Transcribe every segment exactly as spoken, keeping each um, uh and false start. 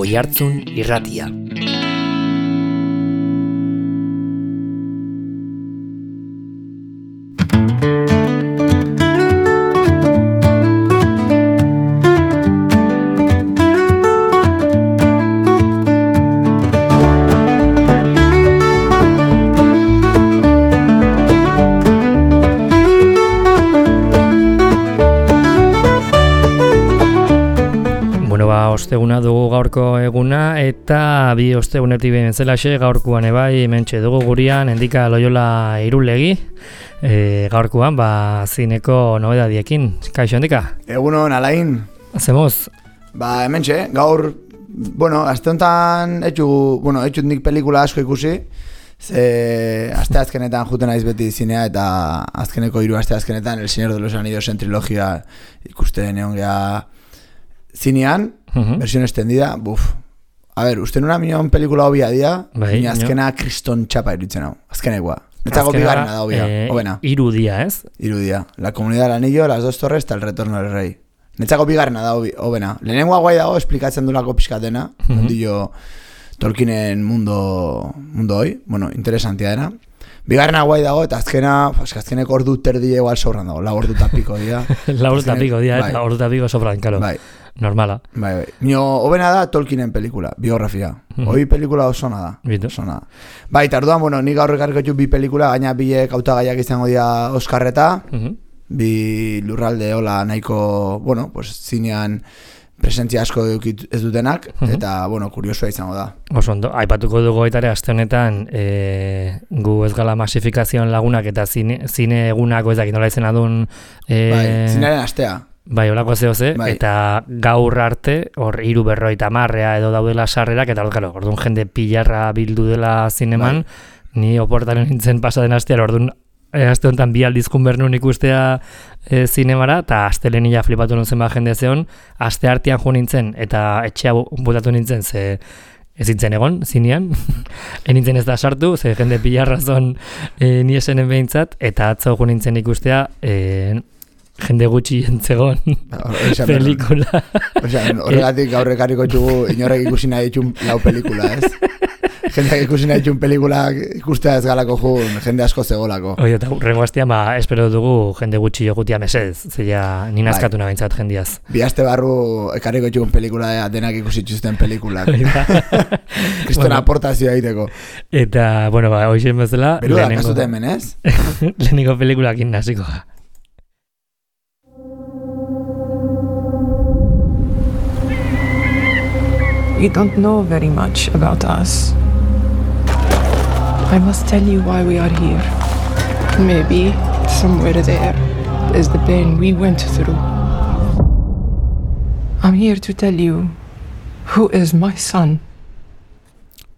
Oihartzun Irratia. Osteguna dugu gaurko eguna eta bi ostegunetik behin zelaxe gaurkoan ebai hementxe dugu gurian Endika Loyola Irulegi e, gaurkoan ba zineko nobedadiekin. Kaixo Endika? Egunon Alain. Zemoz? Ba hementxe, gaur, bueno, aste honetan etxu, bueno, etxut nik pelikula asko ikusi, ze aste azkenetan juten naiz beti zinea eta azkeneko hiru aste azkenetan El Señor de los Anillos en trilogia ikusten egon geha zinean, uh-huh. Versión extendida, buf. A ver, uste nuna minon pelikula hobia dia, bai, azkena no. Kriston txapa iruditzen hau, azkenekoa. Netzako bigarrena da hobia, eh, hobena. Irudia, ez? Irudia. La Comunidad del Anillo, Las Dos Torres eta El Retorno del Rey. Netzako bigarrena da hobena. Lehenengoa guai dago, esplikatzen du pixkatena, uh-huh. Ondillo Tolkienen mundo, mundo hoi, bueno, interesantia dena. Bigarrena guai dago, eta azkena, azkeneko ordu terdi egual sobran dago, la ordu tapiko dia. La ordu tapiko dia, eta ordu tapiko sobran, karo. Bai. Normala. Bai, bai. Nio, hobena da Tolkienen pelikula, biografia. Mm-hmm. Hoi pelikula osona da. Bitu. Osona da. Bai, tarduan, bueno, nik gaur ekarriko etxu bi pelikula, gaina biek hautagaiak izango dira Oskarreta, mm-hmm. Bi lurralde hola nahiko, bueno, pues zinean presentzia asko ez dutenak, mm-hmm. Eta, bueno, kuriosua izango da. Oso ondo, aipatuko dugu aitare aste honetan, e, gu ez gala masifikazioan lagunak eta zine, zine egunako ezakit nola izena duen... E, bai, zinearen astea. Bai, holako zehoze, bai. Eta gaur arte, hor hiru berroita marrea edo daudela sarrerak, eta hor, orduan jende pilarra bildu dela zineman, bai. Ni oportaren nintzen pasaden astean, orduan e, aste honetan bi aldizkun bernun ikustea e, zinemara, eta aste lehenia flipatu nintzen ba jende zeon, aste artean jo nintzen, eta etxea botatu nintzen, ze ez nintzen egon, zinean, enintzen ez da sartu, ze jende pilarra zon e, ni esenen behintzat, eta atzo jo nintzen ikustea, e, jende gutxi entzegon pelikula. Osea, horregatik gaur ekarriko txugu inorrek ikusi nahi ditxun lau pelikula, ez? Jendeak ikusi nahi ditxun pelikula ikustea ez galako jun, jende asko zegolako. Oie, eta rengo hastian, ba, espero dugu jende gutxi jokutia mesez, zeia nina askatu bai. Nabaintzat jendiaz. Bi aste barru ekarriko txugun pelikula da, denak ikusi txuzten pelikulak. Kriston bueno, aportazioa egiteko. Eta, bueno, ba, hoxen bezala... Beru da, kasute hemen, ez? Leheniko pelikulakin naziko. You don't know very much about us. I must tell you why we are here. Maybe somewhere there is the pain we went through. I'm here to tell you who is my son.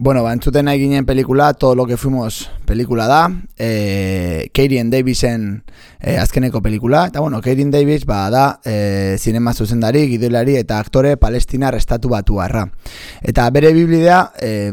Bueno, ba, entzuten nahi ginen pelikula, Todo lo que fuimos pelikula da, e, Keirien Davisen e, azkeneko pelikula, eta bueno, Keirien Davis ba, da e, zinema zuzendari, gidoilari eta aktore palestinar estatu batuarra. Eta bere biblidea e,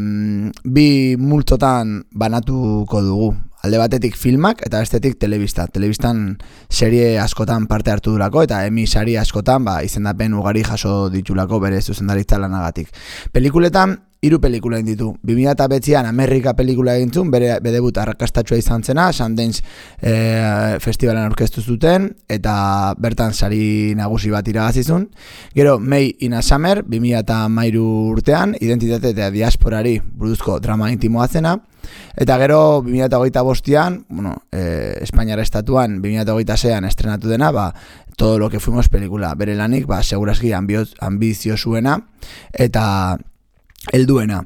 bi multotan banatuko dugu. Alde batetik filmak eta bestetik telebista. Telebistan serie askotan parte hartu durako eta Emmy sari askotan ba, izendapen ugari jaso ditulako bere zuzendaritza lanagatik. Pelikuletan hiru pelikula egin ditu. bi mila bederatzian Amerika pelikula egin zuen, bere bedebut arrakastatsua izan zena, Sundance e, festivalen aurkeztu zuten, eta bertan sari nagusi bat irabazizun. Gero, May in a Summer, bi mila hamairu urtean, identitate eta diasporari buruzko drama intimoa zena, eta gero, bi mila hogeita bostean, bueno, e, Espainiara estatuan, bi mila hogeita seian estrenatu dena, ba, Todo lo que fuimos pelikula. Bere lanik, ba, segurazki ambizio zuena, eta helduena.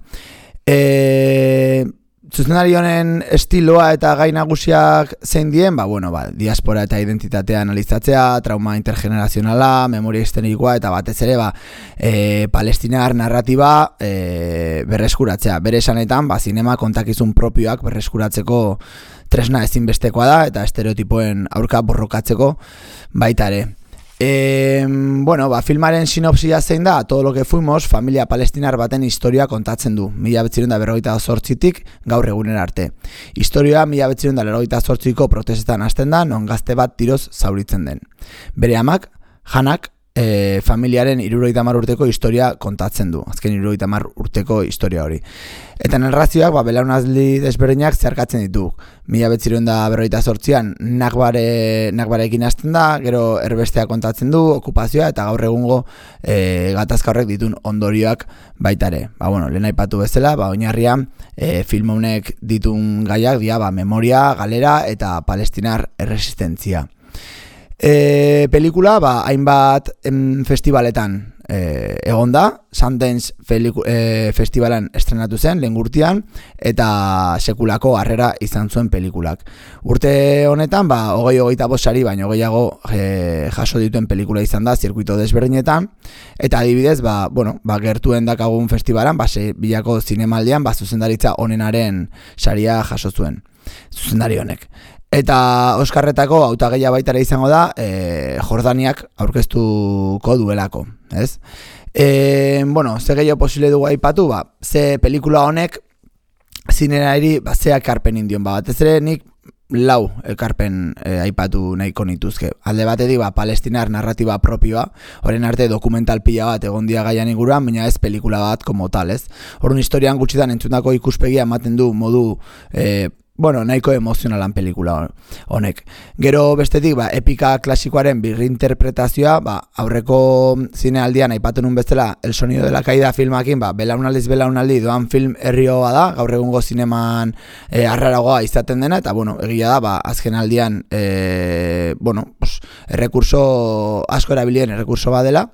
E, zuzendari honen estiloa eta gai nagusiak zein dien, ba, bueno, ba, diaspora eta identitatea analizatzea, trauma intergenerazionala, memoria histerikoa eta batez ere ba, e, palestinar narratiba e, berreskuratzea. Bere esanetan, ba, zinema kontakizun propioak berreskuratzeko tresna ezinbestekoa da eta estereotipoen aurka borrokatzeko baita ere. E, bueno, ba, filmaren sinopsia zein da, Todo lo que fuimos, familia palestinar baten historia kontatzen du, mila behatziehun eta berrogeita zortzitik gaur egunera arte. Historia mila behatziehun eta berrogeita zortziko protestetan hasten da, non gazte bat tiroz zauritzen den. Bere amak, Hanak, e, familiaren hirurogeita hamar urteko historia kontatzen du, azken hirurogeita hamar urteko historia hori. Eta narrazioak ba, belaunaldi desberdinak zeharkatzen ditu. Mila bederatziehun eta berrogeita zortzian Nakbare, Nakbarekin hasten da, gero erbestea kontatzen du, okupazioa, eta gaur egungo e, gatazka horrek ditun ondorioak baitare. Ba, bueno, lehen aipatu bezala, ba, oinarrian e, film honek ditun gaiak dia, ba, memoria, galera eta palestinar erresistentzia. E, pelikula, ba, hainbat em, festivaletan e, egon da, Sundance e, festivalan estrenatu zen, lehen urtean, eta sekulako harrera izan zuen pelikulak. Urte honetan, ba, hogei hogeita bosari, baina hogeiago e, jaso dituen pelikula izan da, zirkuito desberdinetan, eta adibidez, ba, bueno, ba, gertuen dakagun festivalan, ba, bilako zinemaldian, ba, zuzendaritza honenaren saria jaso zuen, zuzendari honek. Eta Oskarretako hautagaia baitara izango da e, Jordaniak aurkeztuko duelako, ez? E, bueno, ze gehiago posible dugu aipatu, ba, ze pelikula honek zinerari ba, ze ekarpen indion, ba, batez ere nik lau ekarpen e, aipatu nahiko nituzke. Alde batetik, ba, palestinar narratiba propioa, horren arte dokumental pila bat egon dia gaian inguruan, baina ez pelikula bat como tal, ez? Horren historian gutxitan entzutako ikuspegia ematen du modu e, bueno, nahiko emozionalan pelikula honek. Gero bestetik, ba, epika klasikoaren birrinterpretazioa, ba, aurreko zinealdian aipatu nun bezala El sonido de la caída filmakin, ba, belaunaldiz belaunaldi doan film herrioa da, gaur egungo zineman e, arraragoa izaten dena, eta bueno, egia da, ba, azken aldian e, bueno, pues, errekurso asko erabilien errekurso badela.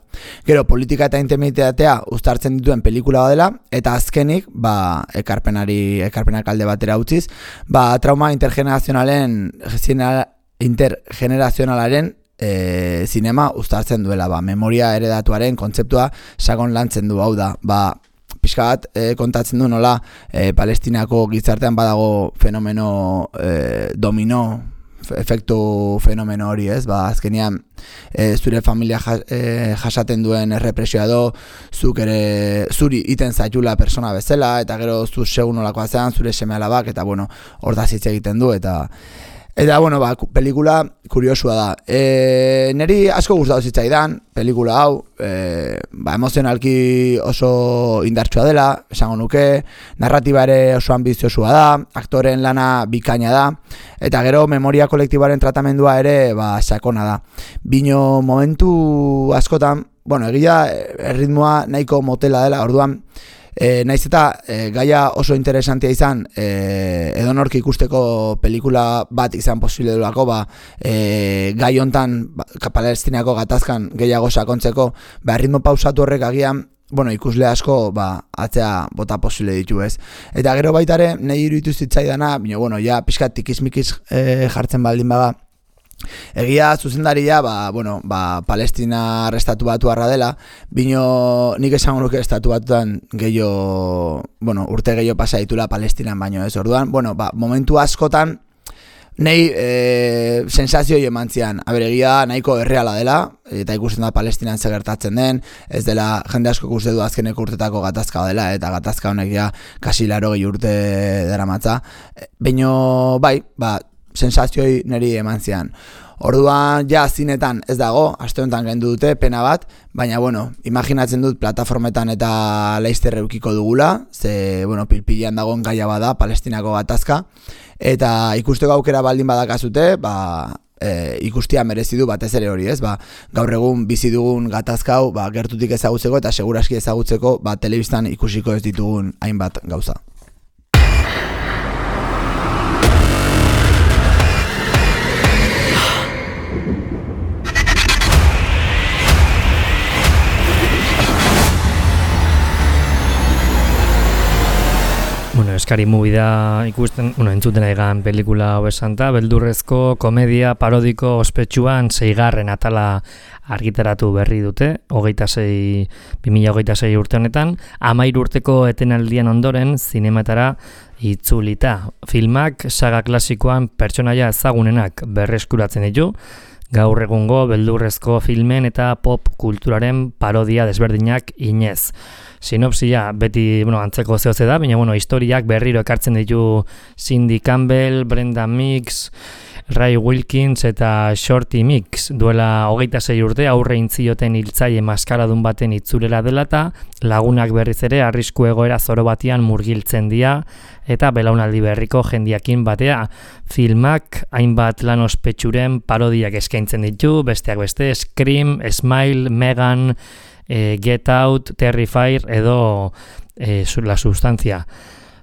Gero politika eta intimitatea uztartzen dituen pelikula badela, eta azkenik, ba, ekarpenari, ekarpenak alde batera utziz, ba, trauma intergenerazionalen intergenerazionalaren e, zinema uztartzen duela, ba, memoria eredatuaren kontzeptua sakon lantzen du, hau da, ba, pixka bat e, kontatzen du nola e, Palestinako gizartean badago fenomeno e, domino, efektu fenomeno hori, ez? Ba, azkenean e, zure familia jas, e, jasaten duen errepresioa do, zuk ere zuri iten zaitula persona bezala, eta gero zu segun nolakoa zean, zure seme alabak, eta bueno, hor da zitz egiten du, eta Eta, bueno, ba, pelikula kuriosua da. E, neri asko gustatu zitzaidan, pelikula hau, e, ba, emozionalki oso indartsua dela, esango nuke, narratiba ere oso ambiziosua da, aktoren lana bikaina da, eta gero memoria kolektibaren tratamendua ere, ba, sakona da. Bino momentu askotan, bueno, egia erritmoa nahiko motela dela, orduan, E, naiz eta e, gaia oso interesantia izan e, edonork ikusteko pelikula bat izan posible duelako, ba, e, gai hontan ba, Palestinako gatazkan gehiago sakontzeko, ba, ritmo pausatu horrek agian, bueno, ikusle asko ba, atzea bota posible ditu, ez. Eta gero baitare, nahi iruditu zitzaidana, bino, bueno, ja, pixkat tikismikiz e, jartzen baldin baga, egia zuzendaria, ba, bueno, ba, Palestina estatu batuarra dela, bino nik esango nuke estatu batuan gehiago, bueno, urte gehiago pasa ditula Palestinan baino, ez, orduan, bueno, ba, momentu askotan nahi e, sensazioi eman zian, aberegia nahiko erreala dela, eta ikusten da Palestinan zegertatzen den, ez dela jende asko ikuste du azkeneko urtetako gatazka dela, eta gatazka honek ja kasi laro gehi urte daramatza, baino, bai, ba, sensazioi niri eman zian. Orduan, ja, zinetan ez dago, aste honetan gendu dute, pena bat, baina, bueno, imaginatzen dut plataformetan eta laizter eukiko dugula, ze, bueno, pilpilean dagoen gaia bada, Palestinako gatazka, eta ikusteko aukera baldin badakazute, ba, e, ikustia merezi du batez ere hori, ez? Ba, gaur egun bizi dugun gatazka hau, ba, gertutik ezagutzeko eta seguraski ezagutzeko, ba, telebistan ikusiko ez ditugun hainbat gauza. Bueno, eskari movie da ikusten, bueno, entzuten egan pelikula hau esanta, beldurrezko komedia parodiko ospetsuan seigarren atala argitaratu berri dute, hogeita sei, bi mila hogeita sei urte honetan, hamahiru urteko etenaldian ondoren zinematara itzulita. Filmak saga klasikoan pertsonaia ezagunenak berreskuratzen ditu, gaur egungo beldurrezko filmen eta pop kulturaren parodia desberdinak inez. sinopsia beti, bueno, antzeko zehoze da, baina, bueno, historiak berriro ekartzen ditu Cindy Campbell, Brenda Mix, Ray Wilkins eta Shorty Mix duela hogeita sei urte aurre intzioten hiltzaile maskaradun baten itzulera dela eta lagunak berriz ere arrisku egoera zoro batean murgiltzen dira eta belaunaldi berriko jendiakin batea. Filmak hainbat lan ospetsuren parodiak eskaintzen ditu, besteak beste Scream, Smile, Megan, eh, Get Out, Terrifier edo eh, La Sustancia.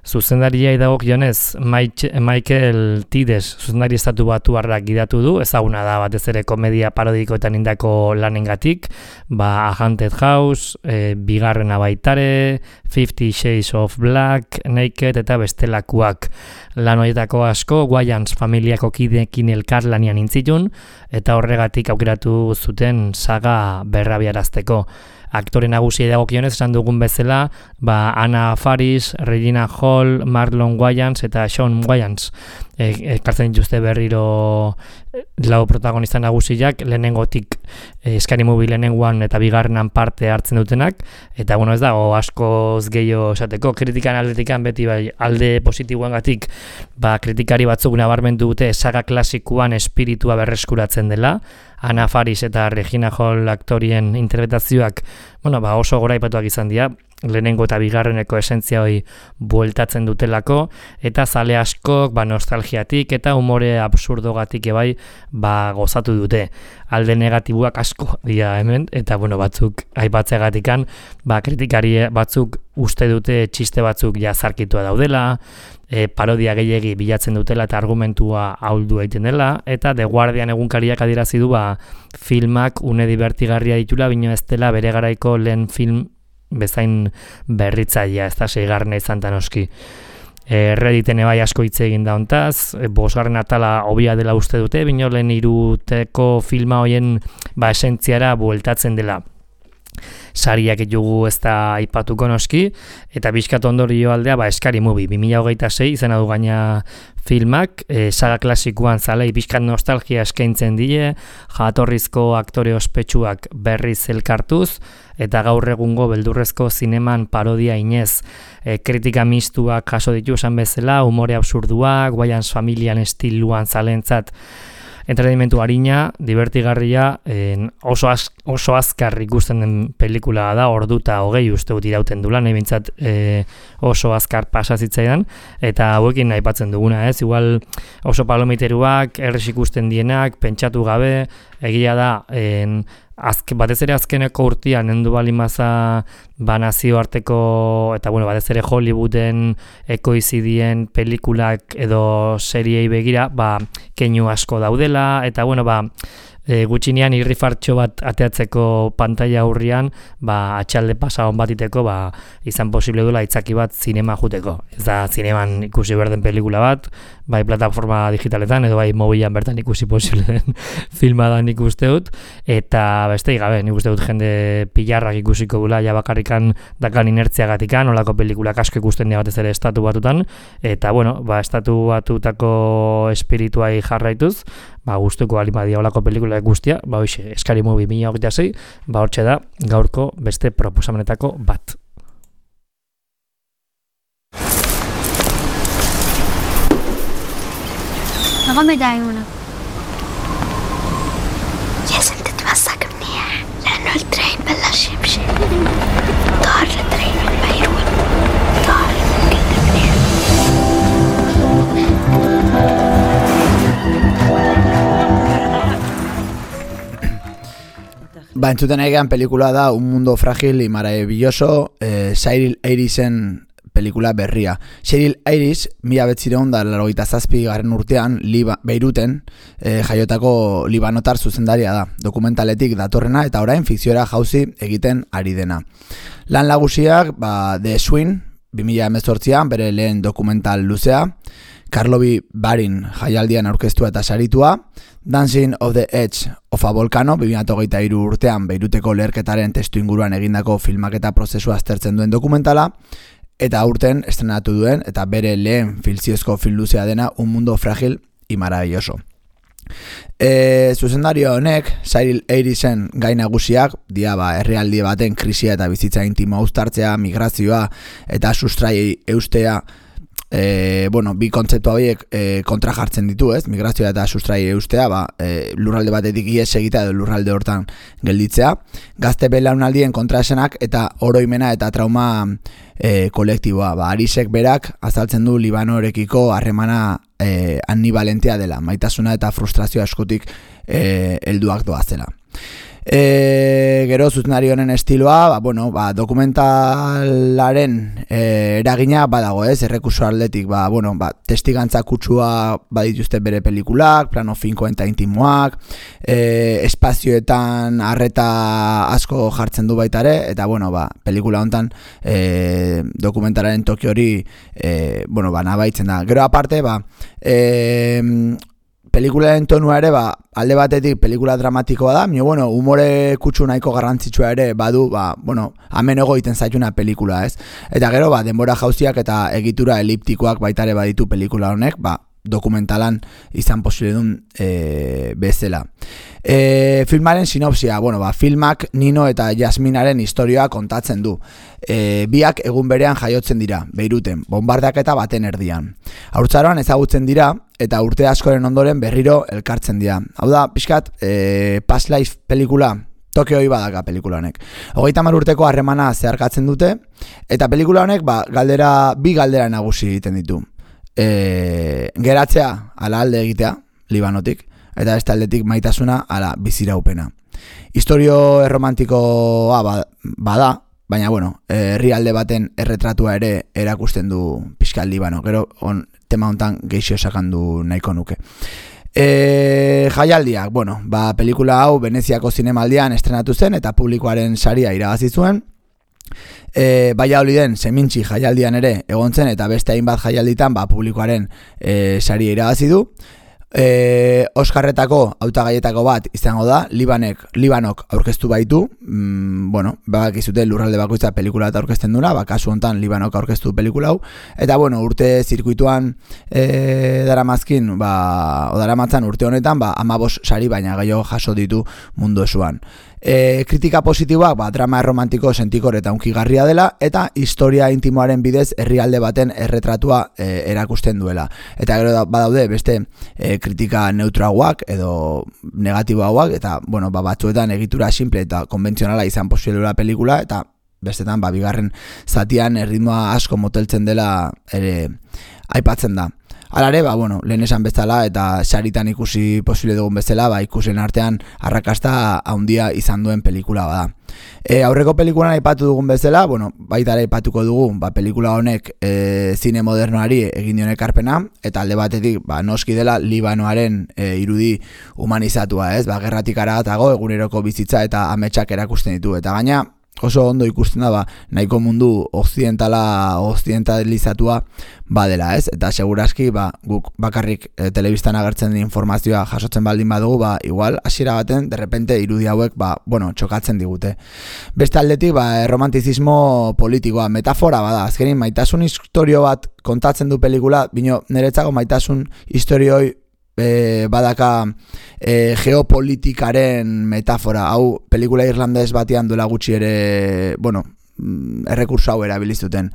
Zuzendariai dagokionez Michael Tides zuzendari estatu batuarrak gidatu du, ezaguna da batez ere komedia parodikoetan indako lanengatik, ba Haunted House, e, bigarrena baitare, Fifty Shades of Black, Naked eta bestelakuak. Lan horietako asko Wayans familiako kideekin elkarlanian intzitun eta horregatik aukeratu zuten saga berrabiarazteko. Aktore nagusiei dagokionez esan dugun bezala, ba Anna Faris, Regina Hall, Marlon Wayans eta Sean Wayans ekartzen dituzte berriro lau protagonista nagusiak lehenengotik eh, Scary Movie lehenengoan eta bigarrenan parte hartzen dutenak eta bueno ez dago askoz gehiago esateko kritikan aldetikan beti bai alde positiboengatik ba kritikari batzuk nabarmendu dute saga klasikoan espiritua berreskuratzen dela. Anna Faris eta Regina Hall aktorien interpretazioak bueno, ba oso goraipatuak izan dira, lehenengo eta bigarreneko esentzia hori bueltatzen dutelako, eta zale askok ba, nostalgiatik eta umore absurdogatik ebai ba, gozatu dute. Alde negatiboak asko dira hemen, eta bueno, batzuk aipatzeagatikan, ba, kritikari batzuk uste dute txiste batzuk jazarkitua daudela, e, parodia gehiegi bilatzen dutela eta argumentua ahuldu egiten dela, eta The Guardian egunkariak adierazi du ba, filmak une divertigarria ditula, bino ez dela bere garaiko lehen film bezain berritzailea, ez da seigarrena izan tanoski. E, Redditen ebai asko hitz egin da hontaz, e, bosgarren atala hobia dela uste dute, bino lehen iruteko filma hoien ba, esentziara bueltatzen dela. Sariak ditugu ez da aipatuko noski, eta bizkat ondorio aldea ba, Scary Movie, bi mila hogeita sei izena du gaina filmak, e, saga klasikoan zalei bizkat nostalgia eskaintzen die, jatorrizko aktore ospetsuak berriz elkartuz, eta gaur egungo beldurrezko zineman parodia inez, e, kritika mistuak jaso ditu esan bezala, umore absurduak, Wayans familian estiluan zalentzat, entretenimentu harina, divertigarria, en, oso, az, oso azkar ikusten den pelikula da, orduta hogei uste dut irauten dula, nahi bintzat e, oso azkar pasazitzaidan, eta hauekin aipatzen duguna, ez? Igual oso palomiteruak, errez ikusten dienak, pentsatu gabe, egia da, en, azke, batez ere azkeneko urtean nendu balimaza ba nazioarteko eta bueno, batez ere Hollywooden ekoizidien pelikulak edo seriei begira, ba keinu asko daudela eta bueno, ba e, gutxinean irrifartxo bat ateatzeko pantalla aurrian, ba atxalde pasa on batiteko, ba izan posible duela itzaki bat zinema juteko. Ez da zineman ikusi berden pelikula bat, bai plataforma digitaletan edo bai mobilan bertan ikusi posible den filma da nik uste dut, eta beste gabe, nik uste dut jende pilarrak ikusiko dula ja bakarrikan dakan inertziagatikan, olako pelikulak asko ikusten dira batez ere estatu batutan, eta bueno, ba estatu batutako espirituai jarraituz, ba gustuko alimadia olako pelikula guztia, ba hoxe, Scary Movie bi mila hogeita sei, ba hortxe da gaurko beste proposamenetako bat. نقوم يدعيونا لازم تتمسك منيح لأنه الترين بلش يمشي طار الترين من بيروت طار كده منيح Ba, entzuten egean pelikula da Un mundo frágil y maravilloso, eh, Cheryl Irisen pelikula berria. Cheryl Iris, mila betzireun da laurogeita zazpi garren urtean, Liba, Beiruten eh, jaiotako libanotar zuzendaria da. Dokumentaletik datorrena eta orain fikziora jauzi egiten ari dena. Lan nagusiak, ba, The Swing, bi mila hemezortzian, bere lehen dokumental luzea, Karlovy Barin jaialdian aurkeztua eta saritua, Dancing of the Edge of a Volcano, bi mila hogeita hiru urtean Beiruteko leherketaren testu inguruan egindako filmaketa prozesua aztertzen duen dokumentala, eta aurten estrenatu duen eta bere lehen fikziozko film luzea dena Un mundo frágil y maravilloso. E, zuzendario honek, Cyril Eirisen gai nagusiak, dia ba, herrialdi baten krisia eta bizitza intimoa uztartzea, migrazioa eta sustrai eustea, e, bueno, bi kontzeptu horiek e, kontra jartzen ditu, ez? Migrazioa eta sustrai eustea, ba, e, lurralde batetik ihes egitea edo lurralde hortan gelditzea, gazte belaunaldien kontraesanak eta oroimena eta trauma e, kolektiboa. Ba, Arisek berak azaltzen du Libanorekiko harremana e, ambivalentea dela, maitasuna eta frustrazio askotik e, helduak doazela. E, gero zuzenari honen estiloa, ba, bueno, ba, dokumentalaren e, eragina badago, ez, errekurso atletik, ba, bueno, ba, testigantza kutsua badituzte bere pelikulak, plano finkoen eta intimoak, e, espazioetan arreta asko jartzen du baita ere, eta, bueno, ba, pelikula hontan e, dokumentalaren toki hori, e, bueno, ba, nabaitzen da. Gero aparte, ba, e, pelikularen tonua ere, ba, alde batetik pelikula dramatikoa da, mio, bueno, humore kutsu nahiko garrantzitsua ere badu, ba, bueno, hemen egiten zaituna pelikula, ez? Eta gero, ba, denbora jauziak eta egitura eliptikoak baitare baditu pelikula honek, ba, dokumentalan izan posible duen e, bezala. E, filmaren sinopsia, bueno, ba, filmak Nino eta Jasminaren historioa kontatzen du. E, biak egun berean jaiotzen dira, Beiruten, bombardaketa baten erdian. Haurtzaroan ezagutzen dira, eta urte askoren ondoren berriro elkartzen dira. Hau da, pixkat, e, Past Life pelikula, toke hoi badaka pelikula honek. Hogeita hamar urteko harremana zeharkatzen dute, eta pelikula honek ba, galdera, bi galdera nagusi egiten ditu. E, geratzea ala alde egitea, Libanotik, eta ez taldetik maitasuna ala biziraupena. Historio erromantikoa bada, baina bueno, herrialde baten erretratua ere erakusten du pixka Libano, gero on, tema hontan geixo sakandu nahiko nuke. E, jaialdiak, bueno, ba, pelikula hau Veneziako zinemaldian estrenatu zen eta publikoaren saria irabazi zuen. E, Valladoliden Semintzi jaialdian ere egon zen eta beste hainbat jaialditan ba, publikoaren e, saria irabazi du. E, Oskarretako hautagaietako bat izango da, Libanek, Libanok aurkeztu baitu, mm, bueno, bakizute lurralde bakoitza pelikula eta aurkezten duna, ba, kasu hontan Libanok aurkeztu pelikula hau, eta bueno, urte zirkuituan e, daramazkin, ba, odaramatzan urte honetan, ba, amabos sari baina gehiago jaso ditu mundu esuan. E, kritika positiboak, ba, drama erromantiko sentikor eta unkigarria dela, eta historia intimoaren bidez herrialde baten erretratua e, erakusten duela. Eta gero da, badaude beste e, kritika neutrauak edo negatiboagoak, eta bueno, ba, batzuetan egitura simple eta konbentzionala izan posiblea pelikula, eta bestetan ba, bigarren zatian erritmoa asko moteltzen dela ere aipatzen da. Alare, ba, bueno, lehen esan bezala eta saritan ikusi posible dugun bezala, ba, ikusen artean arrakasta handia izan duen pelikula bada. E, aurreko pelikulan aipatu dugun bezala, bueno, baita ere aipatuko dugu, ba, pelikula honek e, zine modernoari egin dion ekarpena, eta alde batetik, ba, noski dela Libanoaren e, irudi humanizatua, ez? Ba, gerratik aratago eguneroko bizitza eta ametsak erakusten ditu, eta gaina oso ondo ikusten da, ba, nahiko mundu occidentala, occidentalizatua badela, ez? Eta segurazki, ba, guk bakarrik e, telebistan agertzen den informazioa jasotzen baldin badugu, ba, igual, hasiera baten, derrepente irudi hauek, ba, bueno, txokatzen digute. Beste aldetik, ba, romantizismo politikoa, metafora bada, azkenin maitasun historio bat kontatzen du pelikula, bino, niretzako maitasun historioi E, badaka e, geopolitikaren metafora, hau pelikula irlandez batean duela gutxi ere, bueno, errekurso hau erabilizuten,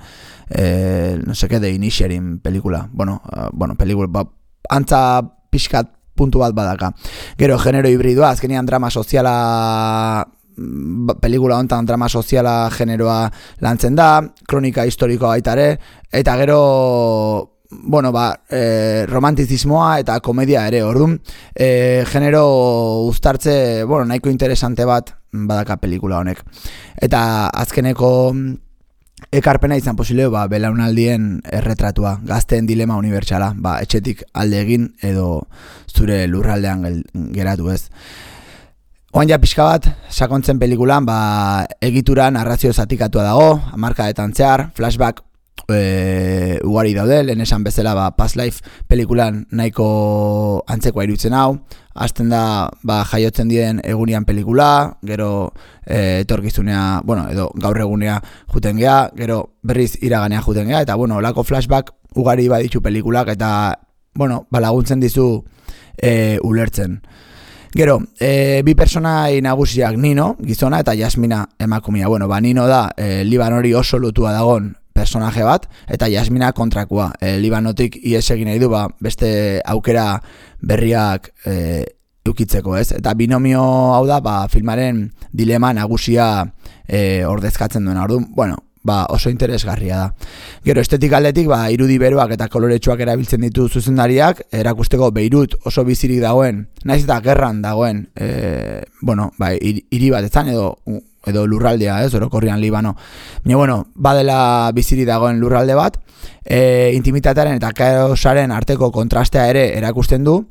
e, no seke, The Inisherin pelikula, bueno, uh, bueno pelikula, ba, antza pixkat puntu bat badaka. Gero, genero hibridua, azkenian drama soziala, pelikula hontan drama soziala generoa lantzen da, kronika historikoa baita ere, eta gero bueno, ba, e, romantizismoa eta komedia ere, orduan, e, genero uztartze, bueno, nahiko interesante bat badaka pelikula honek. Eta azkeneko ekarpena izan posible, ba, belaunaldien erretratua, gazteen dilema unibertsala, ba, etxetik alde egin edo zure lurraldean geratu, ez. Oan ja pixka bat, sakontzen pelikulan, ba, egituran narrazio zatikatua dago, hamarkadetan zehar, flashback E, ugari daude, lehen esan bezala ba, Past Life pelikulan nahiko antzekoa irutzen hau, hasten da ba, jaiotzen diren egunian pelikula, gero e, etorkizunea, bueno, edo gaur egunea juten gea, gero berriz iraganea juten gea, eta bueno, olako flashback ugari baditu pelikulak, eta bueno, ba, laguntzen dizu e, ulertzen. Gero, e, bi personai nagusiak Nino, gizona, eta Jasmina emakumea. Bueno, ba, Nino da e, Libanori oso lotua dagon personaje bat, eta Jasmina kontrakoa. E, Libanotik ihes egin nahi du, ba, beste aukera berriak e, ukitzeko, ez? Eta binomio hau da, ba, filmaren dilema nagusia e, ordezkatzen duena. Orduan, bueno, ba, oso interesgarria da. Gero, estetik aldetik, ba, irudi beroak eta koloretsuak erabiltzen ditu zuzendariak, erakusteko Beirut oso bizirik dagoen, naiz eta gerran dagoen, e, bueno, ba, hiri bat etzan edo, edo lurraldea, ez, orokorrian Libano. Baina, bueno, badela bizirik dagoen lurralde bat, e, intimitatearen eta kaosaren arteko kontrastea ere erakusten du,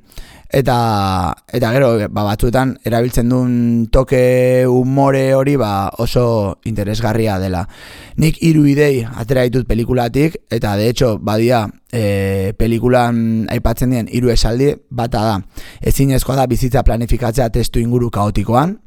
Eta, eta gero, ba, batzuetan erabiltzen duen toke umore hori ba, oso interesgarria dela. Nik hiru idei atera ditut pelikulatik, eta de hecho, badia e, pelikulan aipatzen dien hiru esaldi, bata da. Ezinezkoa da bizitza planifikatzea testu inguru kaotikoan,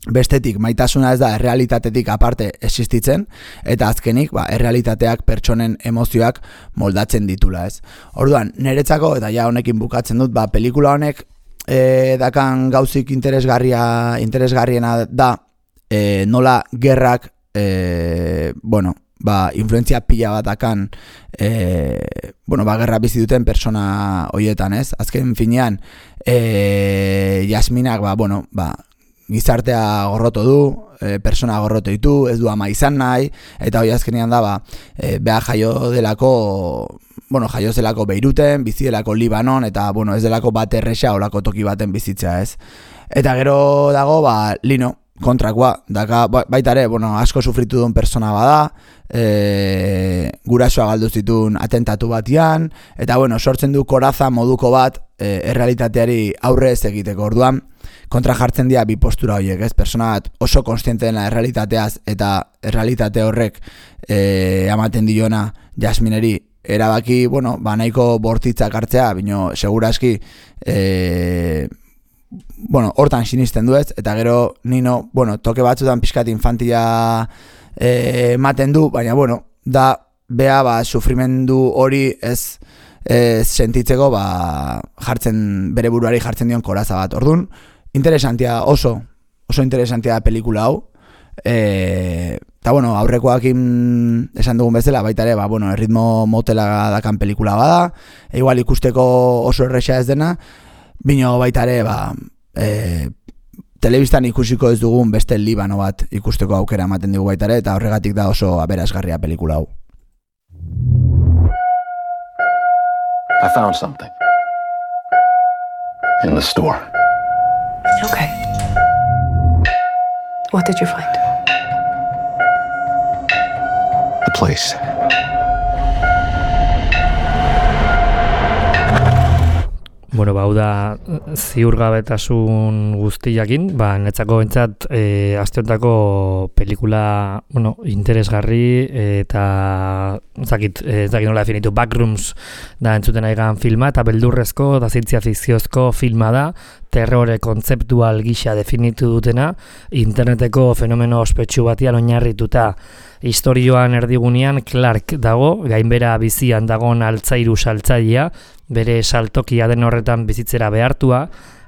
bestetik maitasuna ez da errealitatetik aparte existitzen, eta azkenik ba, errealitateak pertsonen emozioak moldatzen ditula, ez. Orduan, niretzako, eta ja honekin bukatzen dut, ba, pelikula honek e, dakan gauzik interesgarria, interesgarriena da e, nola gerrak, e, bueno, ba, influentzia pila bat dakan, e, bueno, ba, gerra bizi duten persona hoietan, ez. Azken finean, e, Jasminak, ba, bueno, ba, gizartea gorroto du, e, persona gorroto ditu, ez du ama izan nahi, eta hori azkenean da, ba, e, beha jaio delako, bueno, jaio zelako Beiruten, bizi delako Libanon, eta, bueno, ez delako bat erresa olako toki baten bizitzea, ez. Eta gero dago, ba, Lino, kontrakoa, daka, baita ere, bueno, asko sufritu duen persona bada, e, gurasoa galdu zituen atentatu batian, eta, bueno, sortzen du koraza moduko bat, e, errealitateari aurre ez egiteko. Orduan, kontra jartzen dira bi postura horiek, ez? Persona bat oso konstiente dena errealitateaz eta errealitate horrek e, amaten diona Jasmineri erabaki, bueno, ba nahiko bortitzak hartzea, bino seguraski e, bueno, hortan sinisten du, ez? Eta gero Nino, bueno, toke batzutan pixkat infantia e, ematen du, baina bueno, da bea ba sufrimendu hori ez e, sentitzeko ba jartzen bere buruari jartzen dion koraza bat. Ordun interesantia, oso, oso interesantia da pelikula hau. E, eta bueno, aurrekoakin esan dugun bezala, baita ere, ba, bueno, erritmo motela dakan pelikula bada, e, igual ikusteko oso erresa ez dena, bino baita ere, ba, e, telebistan ikusiko ez dugun beste Libano bat ikusteko aukera ematen dugu baita ere, eta horregatik da oso aberasgarria pelikula hau. I found something in the store. Okay. What did you find? A place. Bueno, bau da ziurgabetasun guztiakin, ba, netzako bentsat e, asteontako pelikula, bueno, interesgarri eta zakit, ez dakit nola definitu, Backrooms da entzuten aigan filma, eta beldurrezko da zientzia fikziozko filma da, terrore kontzeptual gisa definitu dutena, interneteko fenomeno ospetsu batian oinarrituta. Historioan erdigunean Clark dago, gainbera bizian dagon altzairu saltzailea, bere saltokia den horretan bizitzera behartua,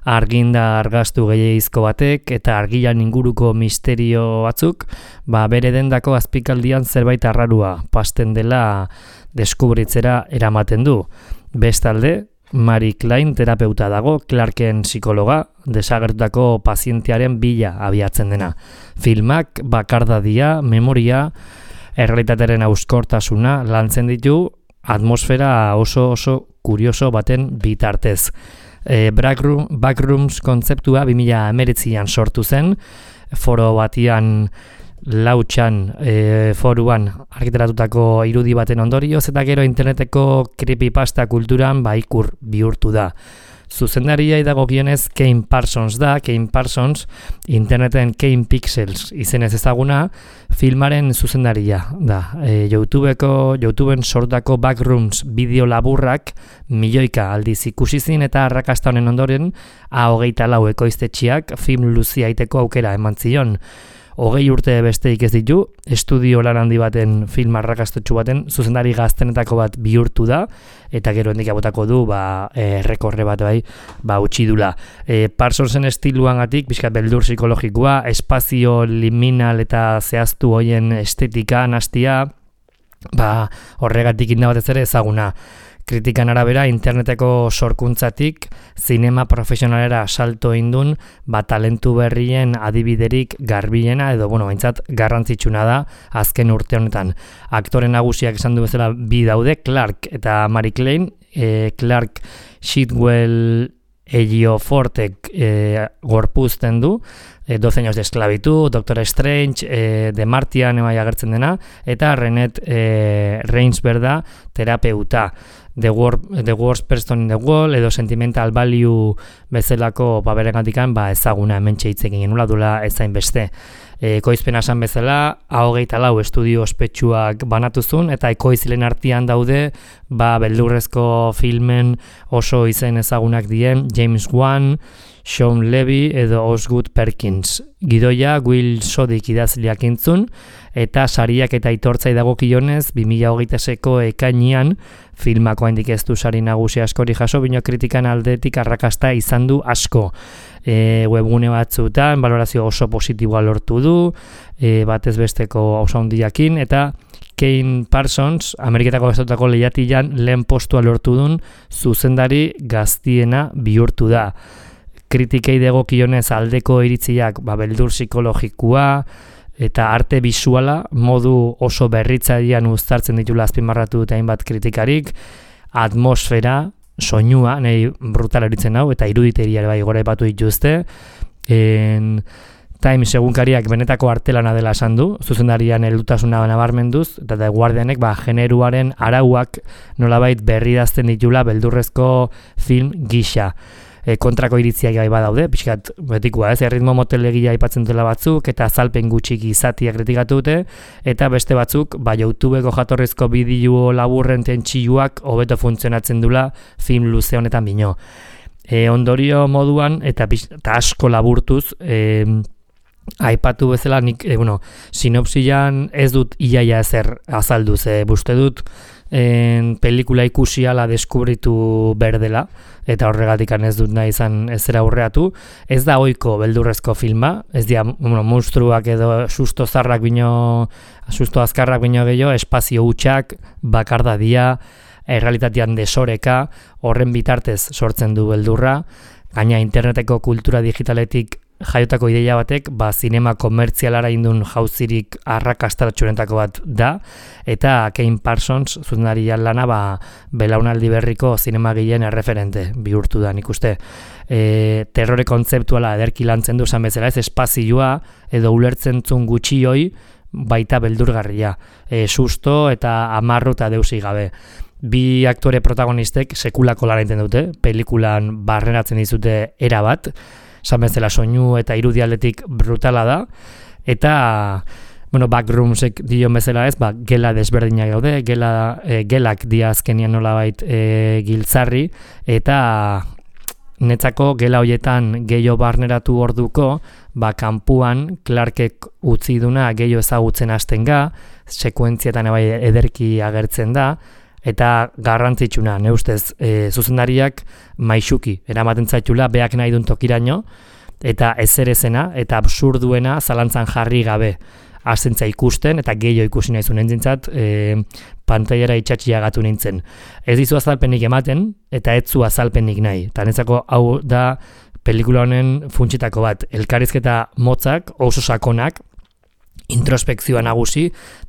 arginda argaztu gehiagizko batek eta argilan inguruko misterio batzuk, ba bere dendako azpikaldian zerbait arrarua pasten dela deskubritzera eramaten du. Bestalde, Mary Klein terapeuta dago, Clarken psikologa, desagertutako pazientearen bila abiatzen dena. Filmak bakardadia, memoria, errealitatearen auskortasuna lantzen ditu, atmosfera oso oso kurioso baten bitartez. E, Backroom, Backrooms kontzeptua bi mila hemeretzian sortu zen, foro batian lautxan e, foruan argitaratutako irudi baten ondorioz, eta gero interneteko creepypasta kulturan ba ikur bihurtu da. Zuzendaria dagokionez Kane Parsons da, Kane Parsons interneten Kane Pixels izenez ezaguna, filmaren zuzendaria da. E, YouTubeko, YouTubeen sortako Backrooms bideo laburrak milioika aldiz ikusi zin eta arrakasta honen ondoren A hogeita lau ekoiztetxeak film luzia aiteko aukera eman zion. hogei urte besteik ez ditu, estudio lan handi baten film arrakastotsu baten zuzendari gaztenetako bat bihurtu da, eta gero hendik abotako du ba, e, rekorre bat bai, ba, utzi dula. E, Parsonsen estiluangatik, pixkat beldur psikologikoa, espazio liminal eta zehaztu hoien estetika, nastia, ba, horregatik inda batez ere ezaguna. Kritikan arabera, interneteko sorkuntzatik, zinema profesionalera salto indun, ba, talentu berrien adibiderik garbiena, edo, bueno, baintzat, garrantzitsuna da, azken urte honetan. Aktore nagusiak esan du bezala bi daude, Clark eta Mary Klein, e, Clark Shitwell Ejiofortek e, gorpuzten du, e, doce años de esclavitud, Doctor Strange, e, The Martian ebai agertzen dena, eta Renette e, Reinsberg da terapeuta. The, wor- the Worst Person in the World edo Sentimental Value bezalako baberegatikan ba, ezaguna hemen txeitzekin genula dula ezain beste. E, ekoizpen esan bezala, ahogeita lau estudio ospetsuak banatuzun eta ekoizlen artean daude ba, beldurrezko filmen oso izen ezagunak dien James Wan, Sean Levy edo Osgood Perkins. Gidoia Will Sodik idazleak intzun, eta sariak eta itortzai dagokionez bi mila hogeita seiko ekainean filmako handik ez du sari nagusi askori jaso, bino kritikan aldetik arrakasta izan du asko. E, webgune batzutan balorazio oso positiboa lortu du, e, batez besteko oso handiakin, eta Kane Parsons, Ameriketako Estatuetako lehiatilan lehen postua lortu dun zuzendari gaztiena bihurtu da. Kritikei dagokionez aldeko iritziak ba, beldur psikologikoa eta arte bisuala modu oso berritzailean uztartzen ditula azpimarratu eta hainbat kritikarik, atmosfera, soinua, nahi brutal eritzen hau, eta iruditeria bai gore batu dituzte. En Times egunkariak benetako artelana dela esan du, zuzendarian heldutasuna nabarmenduz, eta The Guardianek ba, generuaren arauak nolabait berridazten ditula beldurrezko film gisa. E, kontrako iritziak gai badaude, pixkat betikoa ez, erritmo motelegia aipatzen dela batzuk, eta azalpen gutxik izatia kritikatu dute, eta beste batzuk, ba, YouTubeko jatorrizko bideo laburren tentsioak hobeto funtzionatzen dula film luze honetan bino. E, ondorio moduan, eta, eta asko laburtuz, e, aipatu bezala, nik, e, bueno, sinopsian ez dut iaia ezer azaldu, ze buste dut, en pelikula ikusi ala deskubritu berdela, eta horregatik ez dut nahi izan ezera aurreatu. Ez da ohiko beldurrezko filma, ez dira bueno, monstruak edo susto zarrak bino, susto azkarrak bino gehiago, espazio hutsak, bakardadia, errealitatean desoreka, horren bitartez sortzen du beldurra, gaina interneteko kultura digitaletik jaiotako ideia batek, ba, zinema komertzialara indun jauzirik arrakastaratxurenetako bat da, eta Kane Parsons, zuzendari lana, ba, belaunaldi berriko zinemagileen erreferente bihurtu da, nik uste. E, terrore kontzeptuala ederki lantzen du esan bezala, ez espazioa edo ulertzen zun gutxioi baita beldurgarria. E, susto eta amarru eta deusi gabe. Bi aktore protagonistek sekulako lan egiten dute, pelikulan barneratzen dizute era bat, esan bezala soinu eta irudialdetik brutala da, eta bueno, backroomsek dion bezala ez, ba, gela desberdinak daude, gela, e, gelak dia azkenian nolabait e, giltzarri, eta netzako gela hoietan gehiago barneratu orduko, ba, kanpuan Clarkek utzi duna gehiago ezagutzen hasten ga, sekuentzietan bai ederki agertzen da, eta garrantzitsuna, ne ustez, e, zuzendariak maixuki, eramaten zaitula, beak nahi duen tokiraino, eta ezerezena, eta absurduena zalantzan jarri gabe azentza ikusten, eta gehiago ikusi nahi zuen entzintzat, e, pantailara itxatxiagatu nintzen. Ez dizu azalpenik ematen, eta ez zu azalpenik nahi. Eta netzako hau da pelikula honen funtsitako bat, elkarrizketa motzak, oso sakonak, introspekzioa nagusi,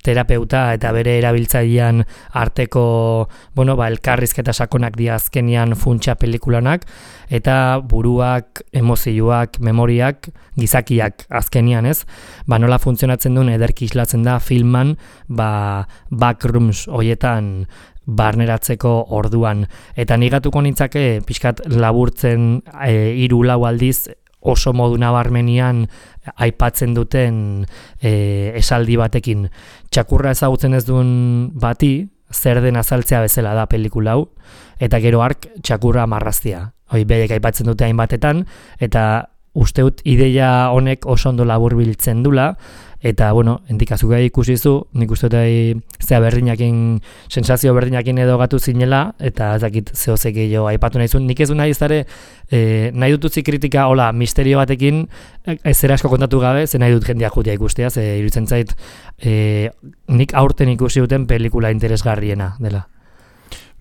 terapeuta eta bere erabiltzailean arteko, bueno, ba, elkarrizketa sakonak dia azkenian funtsa pelikulanak, eta buruak, emozioak, memoriak, gizakiak azkenian ez, ba, nola funtzionatzen duen ederki islatzen da filman, ba, backrooms hoietan barneratzeko orduan. Eta nigatuko nintzake, pixkat laburtzen e, hiru lau aldiz, oso modu nabarmenian aipatzen duten e, esaldi batekin. Txakurra ezagutzen ez duen bati, zer den azaltzea bezala da pelikula hau, eta gero ark txakurra marraztia. Hoi, bedek aipatzen dute hainbatetan, eta usteut ideia honek oso ondo laburbiltzen dula, eta, bueno, endikazuga ikusizu, nik uste dut zea berdinakin, sensazio berdinakin edo gatu zinela, eta ez dakit zehozek gehiago aipatu nahi zuen. Nik ez du nahi izare, e, nahi dututzi kritika, hola, misterio batekin, ez zera asko kontatu gabe, ze nahi dut jendia jutia ikustea, ze iruditzen zait, e, nik aurten ikusi duten pelikula interesgarriena dela.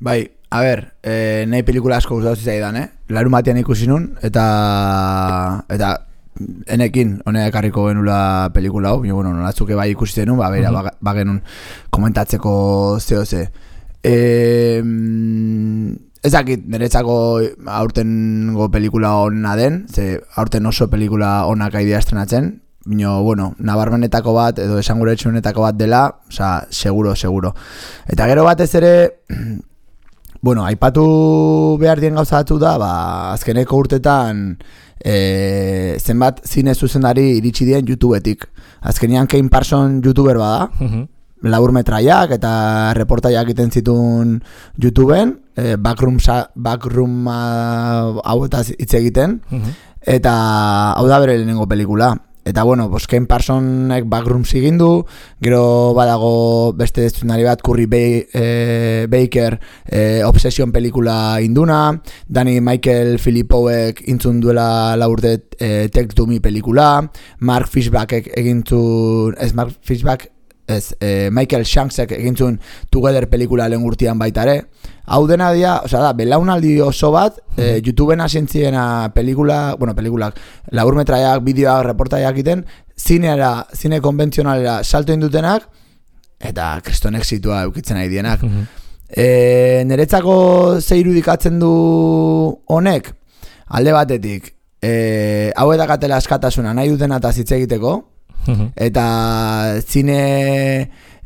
Bai, a ber, eh, nahi pelikula asko gustatu zitzaidan, eh? Larun batean ikusi nun, eta... eta enekin, honek ekarriko genula pelikula hau, bueno, nolatzuke bai ikusi denun, ba, beira, uh-huh. ba genuen komentatzeko zehose. E, ez dakit, niretzako aurtengo pelikula hona den, ze aurten oso pelikula honak aidea estrenatzen, bino, bueno, nabarmenetako bat, edo esanguretxunetako bat dela, oza, seguro, seguro. Eta gero batez ere... Bueno, aipatu behar dien gauza batzu da, ba, azkeneko urtetan e, zenbat zine zuzendari iritsi dien YouTubetik. Azkenean Kane Parson YouTuber bada, uh-huh. laburmetraiak eta reportaiak egiten zituen YouTubeen, e, backroom, backroom uh, hau eta hitz egiten, uh-huh. eta hau da bere lehenengo pelikula. Eta bueno, pues Kane Parsonek Backrooms egin du, gero badago beste zuzendari bat, Curry Bay, eh, Baker eh, Obsession pelikula induna, Danny Michael Filipowek intzun duela laurte eh, Take To Me pelikula, Mark Fishbackek egintzun, ez Mark Fishback, ez, eh, Michael Shanksek egintzun Together pelikula lehen urtean baitare. Hau dena dia, osea da, belaunaldi oso bat, eh, YouTubeen hasentziena pelikula, bueno, pelikulak, laburmetraiak, bideoak, reportaiak iten, zineara, zine konbentzionalera salto indutenak, eta kriston exitua eukitzen nahi dienak. Uh-huh. E, Niretzako ze irudikatzen du honek, alde batetik, e, hau edakatela askatasuna nahi dutena eta zitze egiteko, uh-huh. eta zine...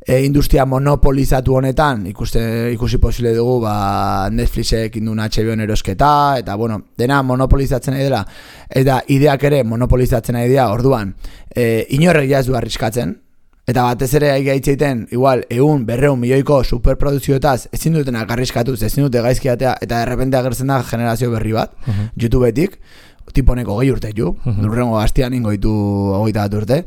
E, industria monopolizatu honetan ikuste, ikusi posible dugu ba, Netflixek indun H B O erosketa eta bueno, dena monopolizatzen nahi dela eta ideak ere monopolizatzen nahi dira orduan e, inorrek ja ez du arriskatzen eta batez ere gaitzeiten igual ehun berrehun milioiko superproduzioetaz ezin dutenak arriskatuz, ezin dute gaizkiatea eta errepente agertzen da generazio berri bat uh-huh. YouTubetik, tiponeko gehi urte ju, uh-huh. nurrengo gaztian ingoitu hogeita bat urte.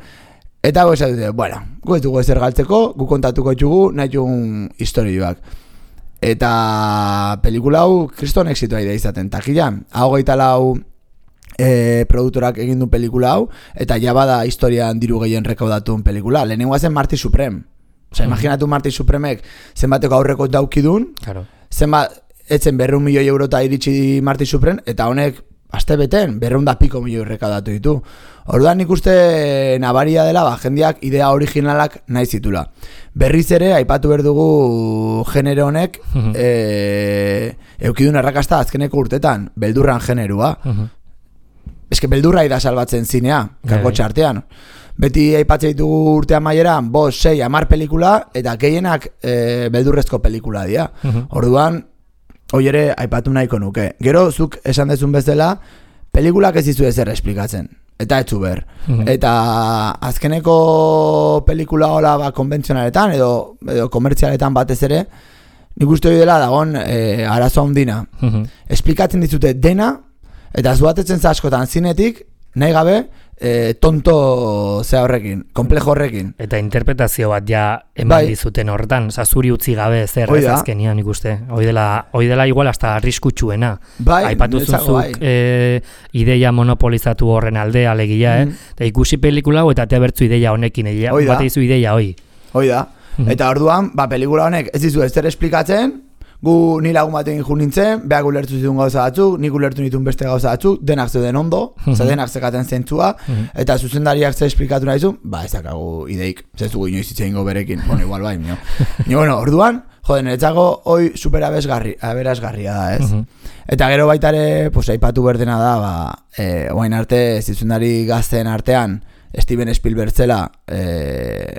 Eta goza dute, bueno, gu ez dugu ezer galtzeko, gu kontatuko txugu, nahi txugun historioak. Eta pelikula hau kriston exitoa idea izaten. Takilan, hau gaita lau e, produktorak egin du pelikula hau, eta ja bada historian diru gehien rekaudatun pelikula. Lehenengoa zen Marty Supreme. Osa, mm. imaginatu Marty Supremek zenbateko aurreko daukidun, claro. zenbat, etzen berreun milioi eurota iritsi Marty Supreme, eta honek aste beten, berreun da piko milioi rekaudatu ditu. Orduan nik uste nabaria dela, ba, jendeak idea originalak nahi zitula. Berriz ere, aipatu behar dugu genero honek, uh-huh. e, eukidun errakasta azkeneko urtetan, beldurran generua. Uh-huh. Ez que beldurra ida salbatzen zinea, kakotxa artean. Beti aipatzen ditugu urtean maieran, bos, sei, amar pelikula, eta gehienak e, beldurrezko pelikula dira. Uh-huh. Orduan, hoi ere, aipatu nahiko nuke. Gero, zuk esan dezun bezala, pelikulak ez dizu ezer esplikatzen. Eta etzu ber. Mm-hmm. Eta azkeneko pelikula hola ba, konbentzionaletan edo, edo komertzialetan batez ere, nik uste hori dela dagoen e, arazo handina. Mm-hmm. Esplikatzen dizute dena, eta zuatetzen zaskotan zinetik, nahi gabe, e, tonto zea horrekin, komplejo horrekin. Eta interpretazio bat ja eman bai. Dizuten horretan, oza, zuri utzi gabe zer ez azkenian ikuste. Hoi dela, hoi dela igual hasta arriskutsuena. Bai, aipatu zuzuk bai. e, ideia monopolizatu horren alde alegia, mm. eh? Eta ikusi pelikula hau eta te bertzu ideia honekin, ideia, bat izu ideia hoi. Hoi da. Mm-hmm. Eta orduan, ba, pelikula honek ez dizu ez zer esplikatzen, gu ni lagun batekin jo nintzen, beak ulertu zituen gauza batzuk, nik ulertu nituen beste gauza batzuk, denak zeuden ondo, mm-hmm. denak zekaten zentzua, mm-hmm. eta zuzendariak zer esplikatu nahi zu, ba ez dakagu ideik, ez dugu inoiz itzein goberekin, bueno, igual bai, nio. Nio, bueno, orduan, joden, etzako hoi super aberazgarria da, ez? Mm-hmm. Eta gero baitare, pues, aipatu berdena da, ba, e, oain arte, zuzendari gazten artean, Steven Spielberg zela, e,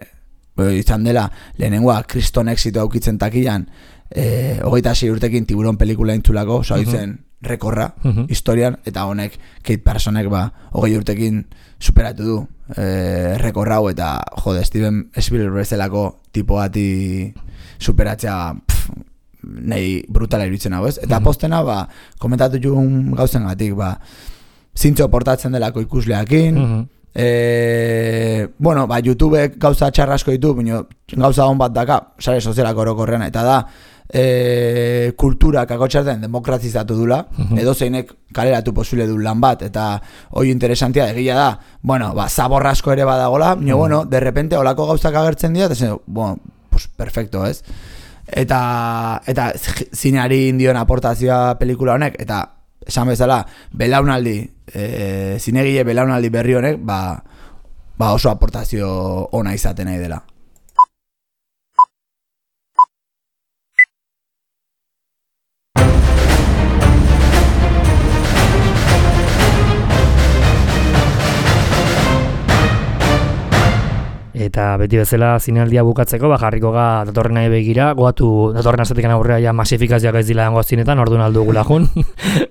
izan dela, lehenengoa, kriston exito aukitzen takilan, Eh, hogeita sei urtekin Tiburon pelikula intzulako, oza, uh-huh. rekorra uh-huh. historian, eta honek Kate Parsonek ba, hogei urtekin superatu du eh, rekorra hau, eta jode, Steven Spielberg zelako tipo bati superatzea pff, nahi brutala iruditzen hau, ez? Eta uh-huh. postena, ba, komentatu jugun gauzen gatik, ba, zintzo portatzen delako ikusleakin, Mhm. E, bueno, ba, YouTubek gauza txarrasko ditu, bino, gauza hon bat daka, sare sozialak orokorrean, eta da, e, kultura kakotxarten demokratizatu dula, Mhm. edo zeinek kaleratu posible du lan bat, eta hoi interesantia egia da, bueno, ba, zaborrasko ere badagola, bino, bueno, de repente olako gauzak agertzen dira, eta zen, bueno, pues perfecto, ez? Eta, eta zineari indion aportazioa pelikula honek, eta esan bezala, belaunaldi, e, zinegile belaunaldi berri honek, ba, ba oso aportazio ona izaten nahi dela. Eta beti bezala zinealdia bukatzeko, ba, jarriko ga datorren nahi begira, goatu datorren astetekan aurrea ja masifikazioak ez dila dango zinetan, orduan aldugula jun,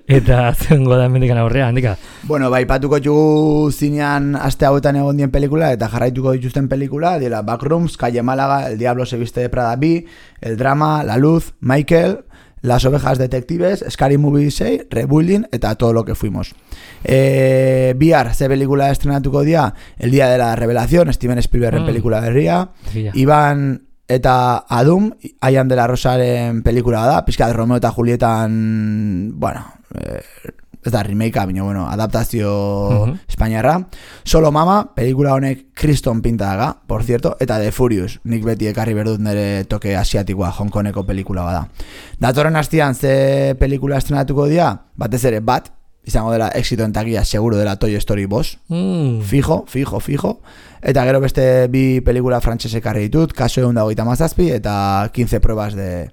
eta zengo da mendikan aurrea, handika. Bueno, bai, patuko txugu zinean aste hauetan egon dien pelikula, eta jarraituko dituzten pelikula, dira Backrooms, Calle Málaga, El Diablo se viste de Prada bi, El Drama, La Luz, Michael, Las Ovejas Detectives, Scary Movie sei, Rebuilding, eta Todo lo que fuimos. E, bihar, ze pelikula estrenatuko dia, El Día de la Revelación, Steven Spielbergren mm. pelikula berria, yeah. Iban eta Adum, Aian de la Rosaren pelikula da, pizka de Romeo eta Julietan, bueno, eh, ez da remakea, baina, bueno, adaptazio uh-huh. espainiarra. Solo Mama, pelikula honek kriston pinta daga, por cierto, eta The Furious, nik beti ekarri berdut nire toke asiatikoa, Hongkoneko pelikula bada. Datorren hastian ze pelikula estrenatuko dia, batez ere bat, izango dela éxito en taquilla, seguro dela Toy Story bost, mm. fijo, fijo, fijo, eta gero beste bi pelikula frantses ekarri ditut, Kaso ehun eta hogeita hamazazpi eta quince pruebas de,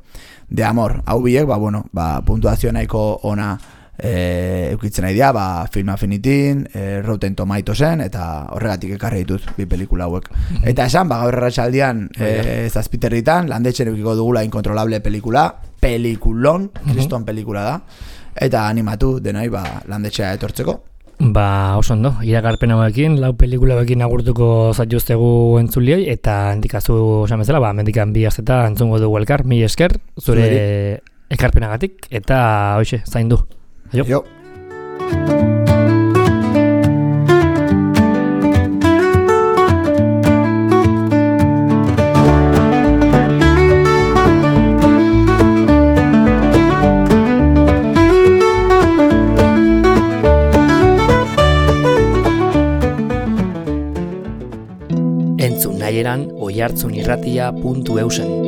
de amor. Hau biek, ba, bueno, ba, puntuazio nahiko ona E, eukitzen nahi dia, ba, Film Affinitin, e, Rotten Tomatoesen, eta horregatik ekarri ditut bi pelikula hauek. Eta esan, ba, gaur erratsaldian e, zazpiterritan, landetxen eukiko dugula Incontrolable pelikula, pelikulon, kriston pelikula da, eta animatu denoi, ba, landetxea etortzeko. Ba, oso ondo, iragarpen hauekin, lau pelikula hauekin agurtuko zaituztegu entzulioi, eta handikazu esan bezala, ba, mendikan bi azeta entzungo dugu elkar, mi esker, zure ekarpenagatik, eta hoxe, zaindu. Aio. Jo. Entzun nahieran oihartzunirratia puntu eusen.